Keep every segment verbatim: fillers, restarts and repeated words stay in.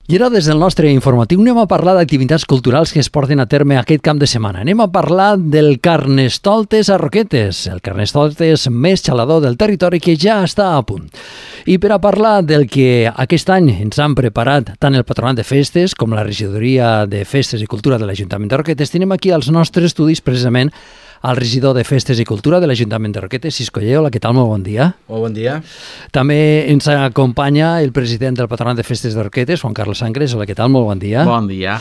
I ara, des del nostre informatiu, anem a parlar d'activitats culturals que es porten a terme aquest cap de setmana. Anem a parlar del Carnestoltes a Roquetes, el Carnestoltes més xalador del territori que ja està a punt. I per a parlar del que aquest any ens han preparat tant el Patronat de Festes com la Regidoria de Festes i Cultura de l'Ajuntament de Roquetes, tenim aquí als nostres estudis precisament el regidor de Festes i Cultura de l'Ajuntament de Roquetes, Cisco Lleó. Hola, què tal? Molt bon dia. Molt bon dia. També ens acompanya el president del Patronat de Festes de Roquetes, Juan Carlos Sangres. Hola, què tal? Molt bon dia. Bon dia.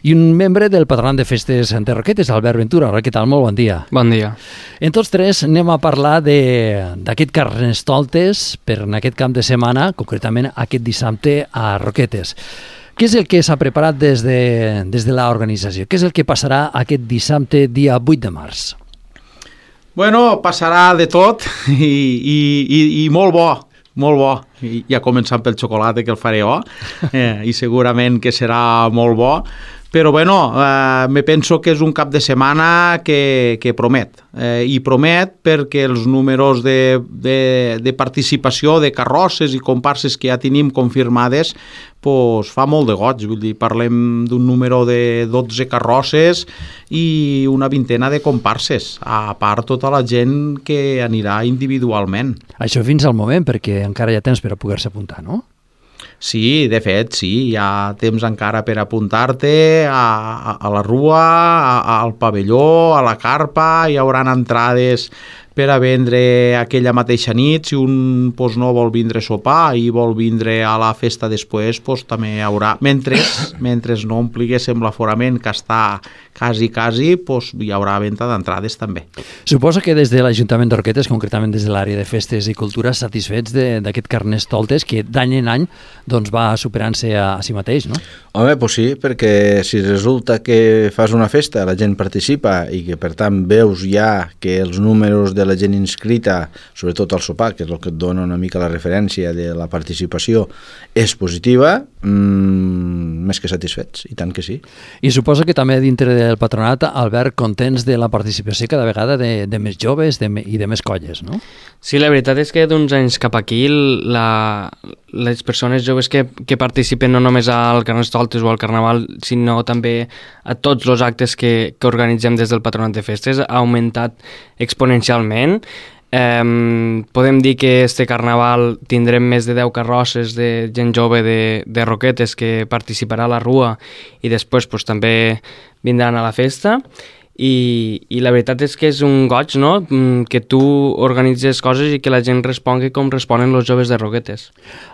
I un membre del Patronat de Festes de Roquetes, Albert Ventura. Hola, què tal? Molt bon dia. Bon dia. En tots tres anem a parlar d'aquest Carnestoltes per en aquest camp de setmana, concretament aquest dissabte a Roquetes. Què és el que s'ha preparat des de, des de l'organització? Què és el que passarà aquest dissabte, dia vuit de març? Bueno, passarà de tot i, i, i, i molt bo, molt bo. I, ja començant pel xocolata, que el faré jo, eh, i segurament que serà molt bo. Però bueno, eh, me penso que és un cap de setmana que, que promet. Eh, I promet perquè els números de, de, de participació de carrosses i comparses que ja tenim confirmades pues, fa molt de goig. Vull dir, parlem d'un número de dotze carrosses i una vintena de comparses, a part tota la gent que anirà individualment. Això fins al moment, perquè encara hi ha temps per a poder-se apuntar, no? Sí, de fet, sí, hi ha temps encara per apuntar-te a, a, a la rua, a, al pavelló, a la carpa, hi haurà entrades per a vendre aquella mateixa nit. Si un pues, no vol vindre a sopar i vol vindre a la festa després, pues, també hi haurà. Mentre, mentre no ompliguéssim l'aforament, que està quasi, quasi, pues, hi haurà venda d'entrades també. Suposo que des de l'Ajuntament de Roquetes, concretament des de l'àrea de Festes i Cultura, satisfets d'aquest Carnestoltes que d'any en any doncs, va superant-se a, a si mateix, no? Home, pues sí, perquè si resulta que fas una festa, la gent participa i que per tant veus ja que els números de la gent inscrita, sobretot al sopar, que és el que et dona una mica la referència de la participació, és positiva, mmm, més que satisfets, i tant que sí. I suposo que també dintre del patronat, Albert, contents de la participació cada vegada de, de més joves de, i de més colles, no? Sí, la veritat és que d'uns anys cap aquí la, les persones joves que, que participen no només al Carnestoltes o al Carnaval, sinó també a tots els actes que, que organitzem des del Patronat de Festes, ha augmentat exponencialment. Eh, podem dir que este Carnaval tindrem més de deu carrosses de gent jove de, de Roquetes que participarà a la rua i després pues, també vindran a la festa. I, i la veritat és que és un goig, no?, que tu organitzes coses i que la gent respongui com responen els joves de Roquetes.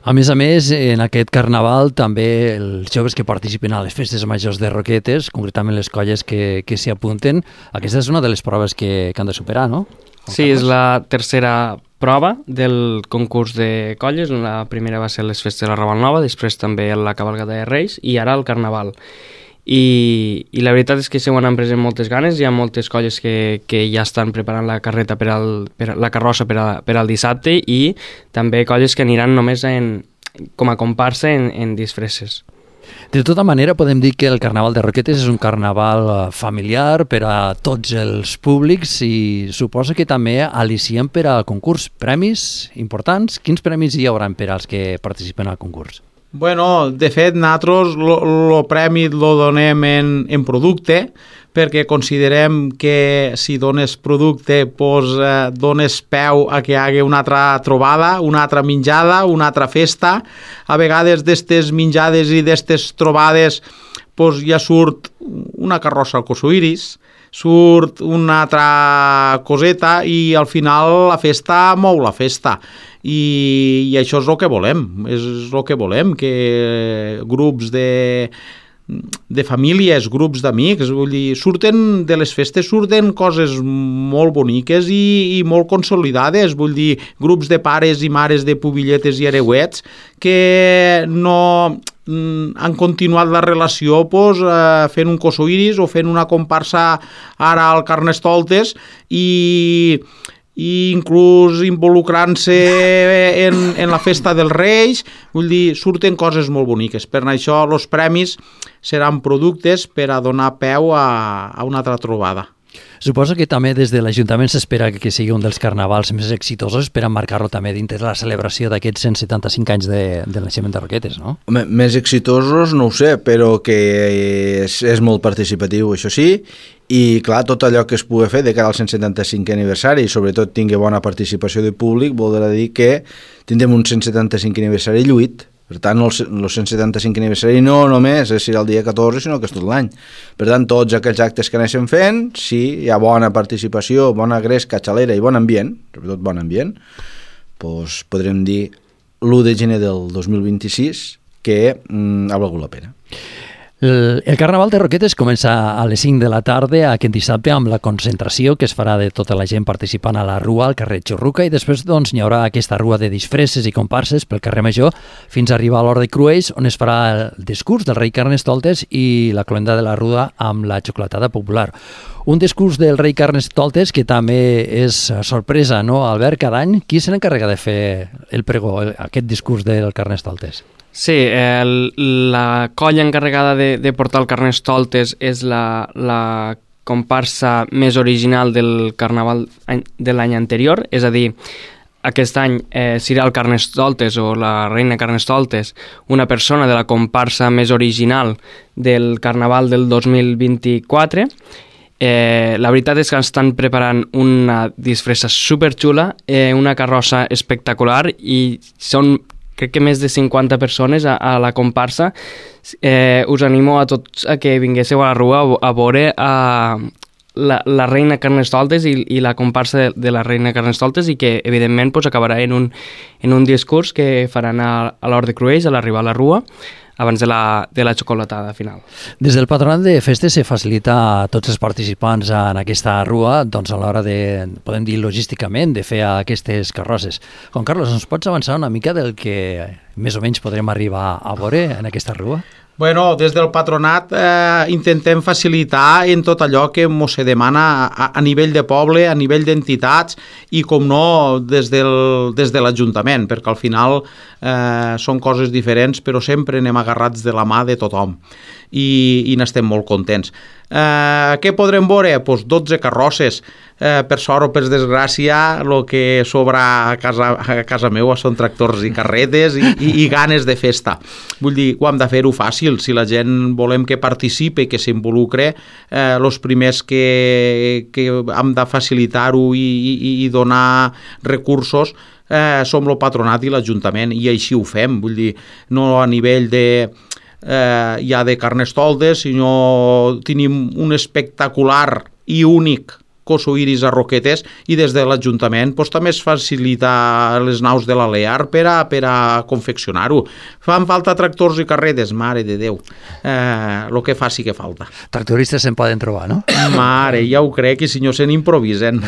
A més a més, en aquest carnaval també els joves que participen a les festes majors de Roquetes, concretament les colles que, que s'hi apunten, aquesta és una de les proves que, que han de superar, no? Sí, és la tercera prova del concurs de colles. La primera va ser les festes de la Raval Nova, després també la cavalgada de Reis i ara el Carnaval. I, i la veritat és que s'ho han pres amb moltes ganes. Hi ha moltes colles que, que ja estan preparant la carreta per al, per a, la carrossa per, a, per al dissabte i també colles que aniran només en, com a comparsa en, en disfresses. De tota manera, podem dir que el Carnaval de Roquetes és un carnaval familiar per a tots els públics i suposa que també al·liciem per al concurs. Premis importants? Quins premis hi haurà per als que participen al concurs? Bueno, de fet, nosaltres el premi lo donem en, en producte, perquè considerem que si dones producte pues, eh, dones peu a que hi hagi una altra trobada, una altra menjada, una altra festa. A vegades d'estes menjades i d'estes trobades pues, ja surt una carrossa al Cosoiris, surt una altra coseta i al final la festa mou la festa. I, i això és el que volem, és el que volem, que grups de, de famílies, grups d'amics, vull dir, surten de les festes, surten coses molt boniques i, i molt consolidades, vull dir, grups de pares i mares de pubilletes i hereuets que no han continuat la relació pues, eh, fent un Cosoiris o fent una comparsa ara al Carnestoltes i i inclús involucrant-se en, en la festa dels Reis, vull dir, surten coses molt boniques. Per això els premis seran productes per a donar peu a, a una altra trobada. Suposo que també des de l'Ajuntament s'espera que sigui un dels carnavals més exitosos per emmarcar-lo també dintre de la celebració d'aquests cent setanta-cinc anys de, del naixement de Roquetes, no? Home, més exitosos no ho sé, però que és, és molt participatiu, això sí, i clar, tot allò que es pugui fer de cara al cent setanta-cinquè aniversari i sobretot tingui bona participació de públic voldrà dir que tindrem un cent setanta-cinc aniversari lluït. Per tant, el, el cent setanta-cinc aniversari no només és el dia catorze, sinó que és tot l'any. Per tant, tots aquells actes que anem fent, si hi ha bona participació, bona gresca, xalera i bon ambient, sobretot bon ambient, doncs podrem dir l'u de gener del dos mil vint-i-sis que mm, ha valgut la pena. El, el Carnaval de Roquetes comença a les cinc de la tarda aquest dissabte amb la concentració que es farà de tota la gent participant a la rua al carrer Xurruca i després doncs, hi haurà aquesta rua de disfresses i comparses pel carrer Major fins a arribar a l'Hort de Cruells on es farà el discurs del rei Carnestoltes i la cloenda de la Ruda amb la xocolatada popular. Un discurs del rei Carnestoltes que també és sorpresa, no, Albert, cada any? Qui se n'encarrega de fer el pregó, aquest discurs del Carnestoltes? Sí, el, la colla encarregada de, de portar el Carnestoltes és la, la comparsa més original del Carnaval de l'any anterior, és a dir, aquest any eh, serà el Carnestoltes o la reina Carnestoltes, una persona de la comparsa més original del Carnaval del dos mil vint-i-quatre. Eh, la veritat és que estan preparant una disfressa superxula, eh, una carrossa espectacular i són crec que més de cinquanta persones a, a la comparsa. Eh, us animo a tots a que vinguéssiu a la rua a, a veure a la, la reina Carnestoltes i, i la comparsa de, de la reina Carnestoltes i que evidentment pues, acabarà en un, en un discurs que faran a, a l'Hort de Cruells a l'arribar a la rua abans de la, de la xocolatada final. Des del Patronat de Festes se facilita a tots els participants en aquesta rua doncs a l'hora de, podem dir logísticament, de fer aquestes carrosses. Juan Carlos, ens pots avançar una mica del que més o menys podrem arribar a veure en aquesta rua? Bueno, des del patronat eh, intentem facilitar en tot allò que ens se demana a, a nivell de poble, a nivell d'entitats i, com no, des del, des de l'Ajuntament, perquè al final eh, són coses diferents, però sempre anem agarrats de la mà de tothom i, i n'estem molt contents. Eh, què podrem veure? Pues dotze carrosses. Eh, per sort o per desgràcia, el que sobra a casa, a casa meva són tractors i carretes i, i, i ganes de festa. Vull dir, ho hem de fer-ho fàcil. Si la gent volem que participi i que s'involucre, eh, els primers que, que hem de facilitar-ho i, i, i donar recursos eh, som el patronat i l'Ajuntament, i així ho fem. Vull dir, no a nivell de... Eh, ja de Carnestoltes, sinó tenim un espectacular i únic coso iris a Roquetes i des de l'Ajuntament pues, també es facilita les naus de l'Alear per a, per a confeccionar-ho. Fan falta tractors i carretes, mare de Déu. Eh, lo que faci que falta. Tractoristes se'n poden trobar, no? Mare, ja ho crec, i si no se n'improvisen.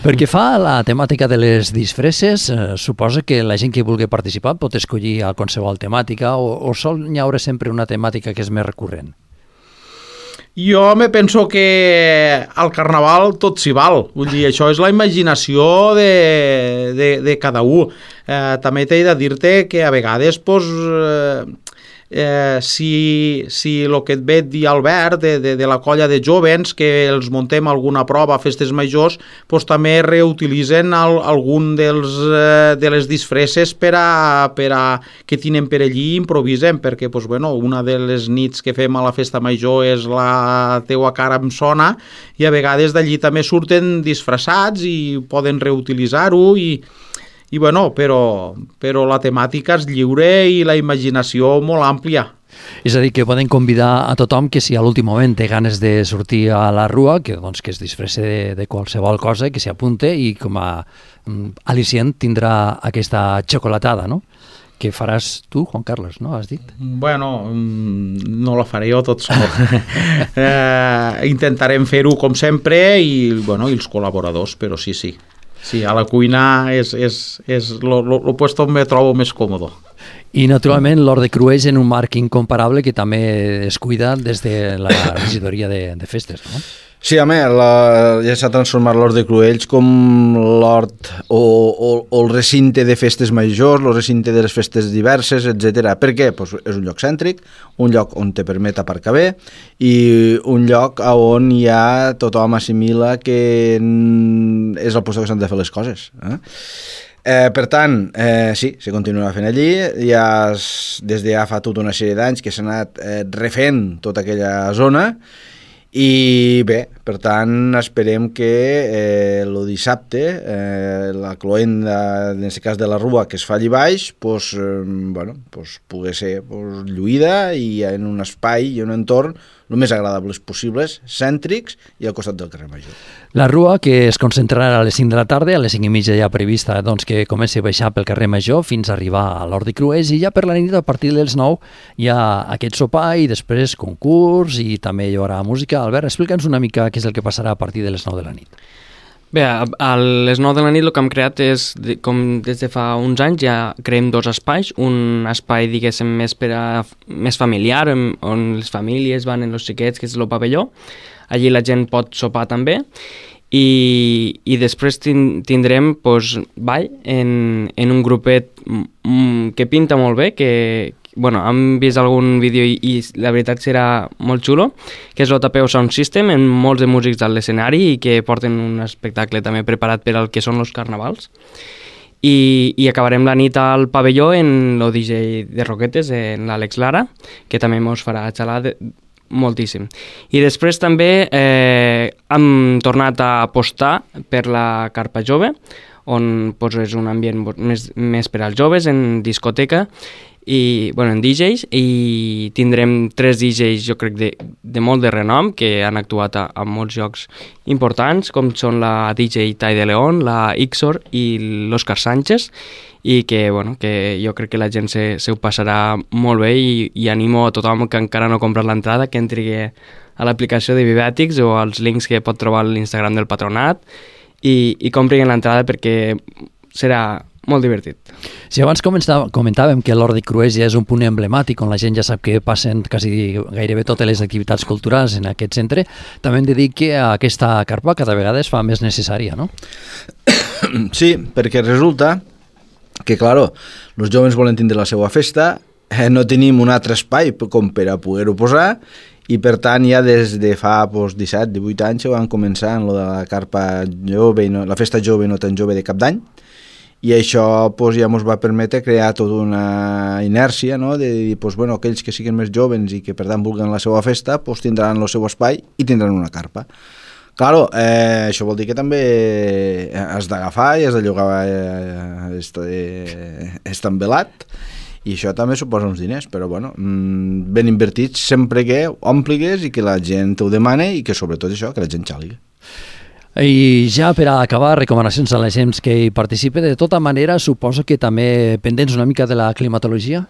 Perquè fa la temàtica de les disfresses, eh, suposa que la gent que vulgui participar pot escollir a qualsevol temàtica o, o sol n'hi haurà sempre una temàtica que és més recurrent? Jo me penso que al Carnaval tot s'hi val. Vull dir, això és la imaginació de, de, de cada un. Eh, també t'he de dir-te que a vegades pues, eh, eh, si, si el que et ve dir Albert de, de, de la colla de jovens que els muntem alguna prova a festes majors, pues, també reutilitzen el, algun dels, eh, de les disfresses per a, per a que tenen per allí i improvisen, perquè pues, bueno, una de les nits que fem a la festa major és la teua cara em sona, i a vegades d'allí també surten disfressats i poden reutilitzar-ho i I bueno, però, però la temàtica és lliure i la imaginació molt àmplia. És a dir, que poden convidar a tothom que si a l'últim moment té ganes de sortir a la rua, que, doncs, que es disfresse de, de qualsevol cosa, que s'hi apunte i com a um, al·licient tindrà aquesta xocolatada, no? Que faràs tu, Juan Carlos, no? Has dit? Bueno, no la faré jo tot sol. eh, intentarem fer-ho com sempre i, bueno, i els col·laboradors, però sí, sí. Sí, a la cuina és, és, és lo, lo, lo puesto on me trobo més còmodo. I, naturalment, l'Hort de Cruells en un marc incomparable que també es cuida des de la regidoria de, de festes, no? Sí, home, la, ja s'ha transformat l'Hort de Cruells com l'hort o, o, o el recinte de festes majors, el recinte de les festes diverses, etcètera. Per què? Pues és un lloc cèntric, un lloc on te permet aparcar bé i un lloc on ja tothom assimila que és el lloc que s'han de fer les coses. Eh? Eh, per tant, eh, sí, se continua fent allí, ja es, des de ja fa tota una sèrie d'anys que s'ha anat eh, refent tota aquella zona. I bé, per tant, esperem que eh, el dissabte eh, la cloenda, en aquest cas de la Rua, que es fa allí baix, pues, eh, bueno, pues, pugui ser pues, lluïda i en un espai i un entorn el més agradables possibles, cèntrics i al costat del carrer Major. La Rua, que es concentrarà a les cinc de la tarda, a les cinc i mitja ja prevista doncs, que comenci a baixar pel carrer Major fins a arribar a l'Hort de Cruells, i ja per la nit, a partir dels nou, hi ha aquest sopar i després concurs i també hi haurà música. Albert, explica'ns una mica què és el que passarà a partir de les nou de la nit. Bé, a, a les nou de la nit el que hem creat és, com des de fa uns anys, ja creem dos espais. Un espai, diguéssim, més, per a, més familiar, on les famílies van en els xiquets, que és el pavelló. Allí la gent pot sopar també. I, i després tindrem pues, ball en, en un grupet que pinta molt bé, que bueno, hem vist algun vídeo i, i la veritat serà molt xulo, que és l'O T P O Sound System, amb molts de músics a l'escenari i que porten un espectacle també preparat per al que són els carnavals. I, i acabarem la nit al pavelló en el D J de Roquetes, en l'Àlex Lara, que també mos farà xalar de, moltíssim. I després també eh, hem tornat a apostar per la Carpa Jove, on pues, és un ambient més, més per als joves, en discoteca, i, bueno, en D Js, i tindrem tres D Js, jo crec, de, de molt de renom, que han actuat a, a molts llocs importants, com són la D J Tai de León, la Ixor i l'Òscar Sánchez, i que, bueno, que jo crec que la gent se, se ho passarà molt bé i, i animo a tothom que encara no ha comprat l'entrada que entri a l'aplicació de Vivètics o als links que pot trobar a l'Instagram del Patronat i, i comprin l'entrada perquè serà molt divertit. Si abans comentàvem que l'Hort de Cruells ja és un punt emblemàtic on la gent ja sap que passen quasi gairebé totes les activitats culturals en aquest centre, també hem de dir que aquesta carpa cada vegada es fa més necessària, no? Sí, perquè resulta que, claro, els joves volen tindre la seva festa, eh, no tenim un altre espai com per a poder-ho posar, i per tant ja des de fa pues, disset divuit anys van començar en lo de la carpa jove, no, la festa jove no tan jove de cap d'any, i això pues, ja ens va permetre crear tota una inèrcia, no? De dir, pues, bueno, aquells que siguin més joves i que per tant vulguin la seva festa pues, tindran el seu espai i tindran una carpa. Claro, eh, això vol dir que també has d'agafar i has de llogar eh, este envelat, i això també suposa uns diners, però bueno, ben invertits sempre que ompligues i que la gent ho demane i que sobretot això, que la gent xàliga. I ja per a acabar, recomanacions a la gent que hi participe. De tota manera, suposo que també pendents una mica de la climatologia?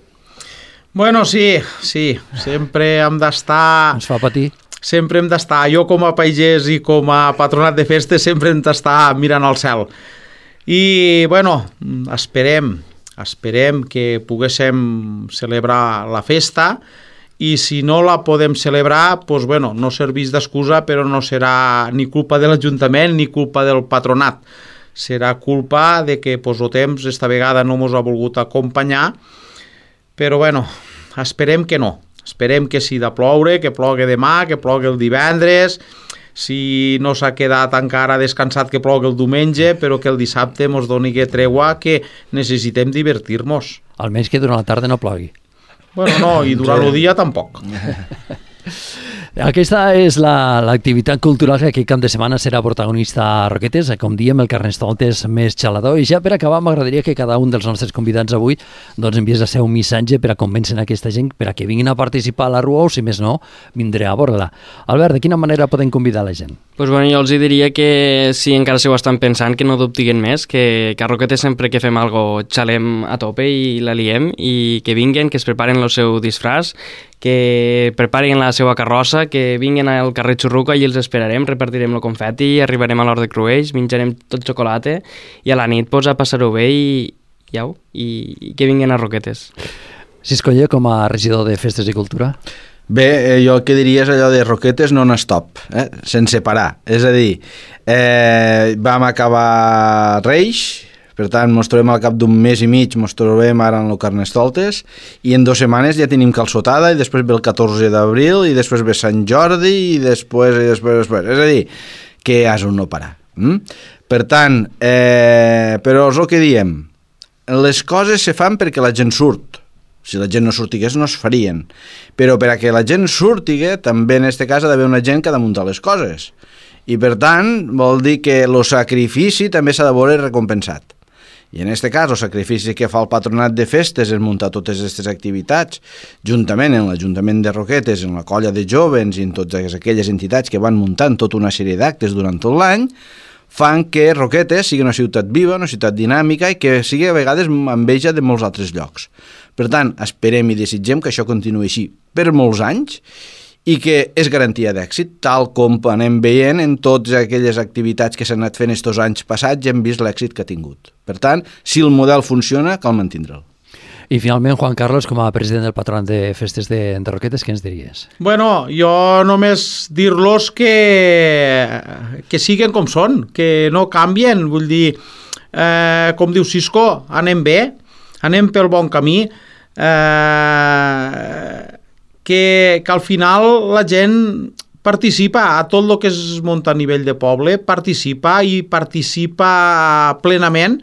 Bueno, sí, sí, sempre hem d'estar... Ens fa patir. Sempre hem d'estar, jo com a pagès i com a patronat de festes, sempre hem d'estar mirant al cel. I, bueno, esperem, esperem que poguéssim celebrar la festa, i si no la podem celebrar, doncs, bueno, no serveix d'excusa, però no serà ni culpa de l'Ajuntament ni culpa del patronat. Serà culpa de que doncs, el temps esta vegada no ens ha volgut acompanyar, però bueno, esperem que no. Esperem que si de ploure, que plogui demà, que plogui el divendres, si no s'ha quedat encara descansat que plogui el diumenge, però que el dissabte ens doni que treua, que necessitem divertir-nos. Almenys que durant la tarda no plogui. Bueno, no, i durant el dia tampoc. Aquesta és l'activitat la, cultural que aquest cap de setmana serà protagonista a Roquetes, com diem, el Carnestoltes més xalador. I ja per acabar m'agradaria que cada un dels nostres convidats avui doncs, enviés el seu missatge per a convèncer aquesta gent per a que vinguin a participar a la Rua o, si més no, vindré a veure-la. Albert, de quina manera podem convidar la gent? Pues bueno, jo els diria que si encara s'ho estan pensant, que no dubtiguen més, que, que a Roquetes sempre que fem algo xalem a tope i la liem, i que vinguen, que es preparen el seu disfraç, que preparen la seva carrossa, que vinguin al carrer Xurruca i els esperarem, repartirem el confeti, arribarem a l'Hort de Cruells, menjarem tot xocolata i a la nit pues, a passar-ho bé i, i, i que vinguin a Roquetes. Ciscoller, com a regidor de Festes i Cultura. Bé, eh, jo el que diria és allò de Roquetes non-stop, eh? sense parar. És a dir, eh, vam acabar Reis, per tant, ens trobem al cap d'un mes i mig, ens trobem ara en el Carnestoltes, i en dues setmanes ja tenim calçotada, i després ve el catorze d'abril, i després ve Sant Jordi, i després, i després, i després. És a dir, que és un no parar. Mm? Per tant, eh, però és el que diem, les coses se fan perquè la gent surt. Si la gent no sortigués no es farien, però per a que la gent surtigui també en aquest cas ha d'haver una gent que ha de muntar les coses, i per tant vol dir que el sacrifici també s'ha de veure recompensat, i en aquest cas el sacrifici que fa el patronat de festes és muntar totes aquestes activitats juntament en l'Ajuntament de Roquetes, en la colla de jovens i en totes aquelles entitats que van muntant tota una sèrie d'actes durant tot l'any, fan que Roquetes sigui una ciutat viva, una ciutat dinàmica i que sigui a vegades enveja de molts altres llocs. Per tant, esperem i desitgem que això continuï així per molts anys i que és garantia d'èxit, tal com anem veient en totes aquelles activitats que s'han anat fent estos anys passats i hem vist l'èxit que ha tingut. Per tant, si el model funciona, cal mantindre'l. I finalment, Juan Carlos, com a president del Patronat de Festes de, de Roquetes, què ens diries? Bueno, jo només dir-los que, que siguen com són, que no canvien, vull dir, eh, com diu Cisco, anem bé, anem pel bon camí, eh, que, que al final la gent participa a tot el que es munta a nivell de poble, participa i participa plenament,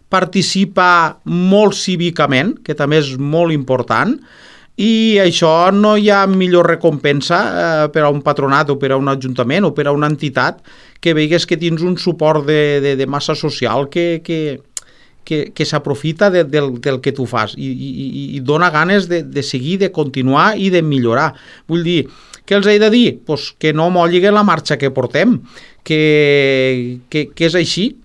participa molt cívicament, que també és molt important, i això no hi ha millor recompensa eh, per a un patronat o per a un ajuntament o per a una entitat que veigues que tens un suport de, de, de massa social que, que, que, que s'aprofita de, del, del que tu fas i, i, i dona ganes de, de seguir, de continuar i de millorar. Vull dir, què els he de dir? Pues que no molliguen la marxa que portem, que, que, que és així,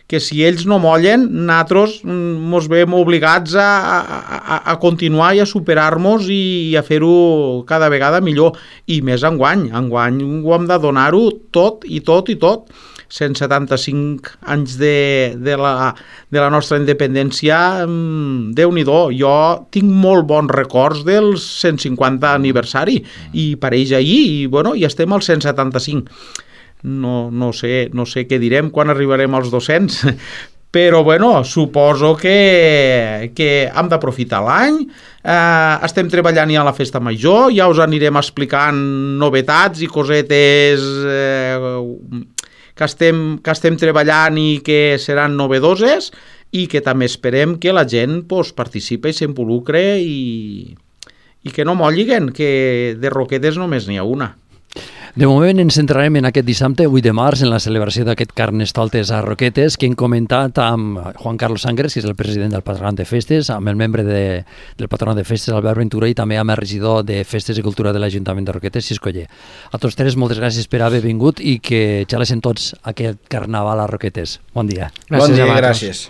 que si ells no mollen, nosaltres ens veiem obligats a, a, a continuar i a superar-nos i a fer-ho cada vegada millor. I més enguany. Enguany ho hem de donar-ho tot i tot i tot. cent setanta-cinc anys de, de, la, de la nostra independència, Déu-n'hi-do. Jo tinc molt bons records del cent cinquanta aniversari i pareix ahir i, bueno, i estem al cent setanta-cinc. No, no, sé, no sé què direm quan arribarem als dos-cents, però bueno, suposo que, que hem d'aprofitar l'any, eh, estem treballant ja a la festa major, ja us anirem explicant novetats i cosetes eh, que, estem, que estem treballant i que seran novedoses i que també esperem que la gent pues, participi i s'involucre i, i que no molliguen, que de Roquetes només n'hi ha una. De moment ens centrarem en aquest dissabte, vuit de març, en la celebració d'aquest Carnestoltes a Roquetes, que hem comentat amb Juan Carlos Sangres, que és el president del Patronat de Festes, amb el membre de, del Patronat de Festes, Albert Ventura, i també amb el regidor de Festes i Cultura de l'Ajuntament de Roquetes, Cisco Oller. A tots tres, moltes gràcies per haver vingut i que xalessin tots aquest carnaval a Roquetes. Bon dia. Gràcies, bon dia, gràcies.